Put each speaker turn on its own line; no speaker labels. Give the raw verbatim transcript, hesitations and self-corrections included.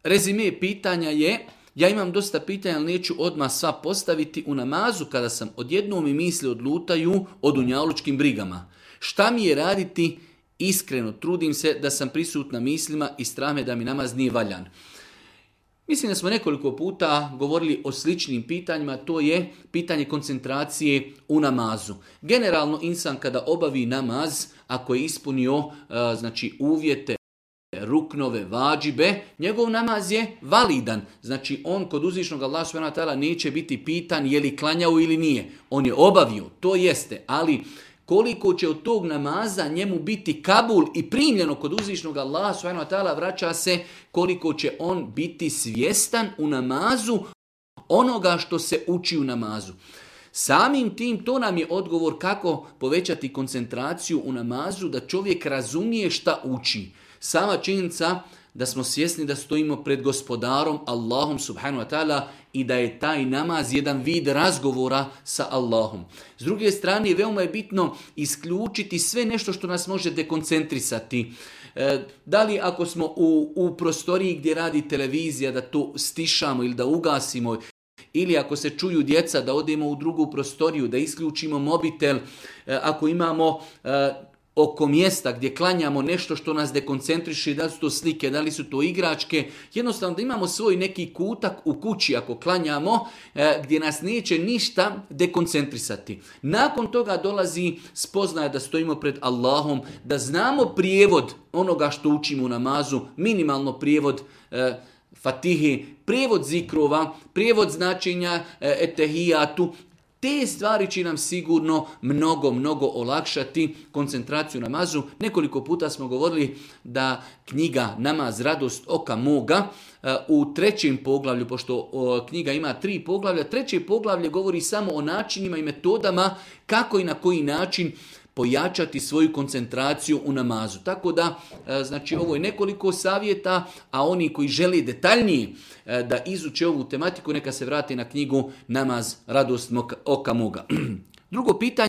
rezime pitanja je, ja imam dosta pitanja, ali neću odmah sva postaviti u namazu kada sam odjednom mi misli odlutaju o dunjalučkim brigama. Šta mi je raditi? Iskreno trudim se da sam prisutna mislima i strah me da mi namaz nije valjan. Mislim da smo nekoliko puta govorili o sličnim pitanjima, to je pitanje koncentracije u namazu. Generalno insan kada obavi namaz, ako je ispunio znači uvjete, ruknove, vađibe, njegov namaz je validan. Znači on kod uzvišnog Allaha subhanahu wa ta'ala neće biti pitan je li klanjao ili nije. On je obavio, to jeste, ali koliko će od tog namaza njemu biti kabul i primljeno kod uzvišnog Allaha subhanahu wa ta'ala, vraća se koliko će on biti svjestan u namazu onoga što se uči u namazu. Samim tim to nam je odgovor kako povećati koncentraciju u namazu, da čovjek razumije šta uči. Sama činjenica da smo svjesni da stojimo pred gospodarom Allahom subhanahu wa ta'ala i da je taj namaz jedan vid razgovora sa Allahom. S druge strane, veoma je bitno isključiti sve nešto što nas može dekoncentrisati. E, da li ako smo u, u prostoriji gdje radi televizija da to stišamo ili da ugasimo, ili ako se čuju djeca da odemo u drugu prostoriju, da isključimo mobitel, e, ako imamo e, oko mjesta gdje klanjamo nešto što nas dekoncentriše, da li su to slike, da li su to igračke, jednostavno da imamo svoj neki kutak u kući ako klanjamo e, gdje nas neće ništa dekoncentrisati. Nakon toga dolazi spoznaja da stojimo pred Allahom, da znamo prijevod onoga što učimo u namazu, minimalno prijevod e, Fatihe, prijevod zikrova, prijevod značenja e, etehijatu. Te stvari će nam sigurno mnogo, mnogo olakšati koncentraciju namazu. Nekoliko puta smo govorili da knjiga Namaz, radost oka moga u trećem poglavlju, pošto knjiga ima tri poglavlja, treće poglavlje govori samo o načinima i metodama kako i na koji način pojačati svoju koncentraciju u namazu. Tako da, znači, ovo je nekoliko savjeta, a oni koji žele detaljnije da izuče ovu tematiku, neka se vrati na knjigu Namaz, radost oka moga. Drugo pitanje.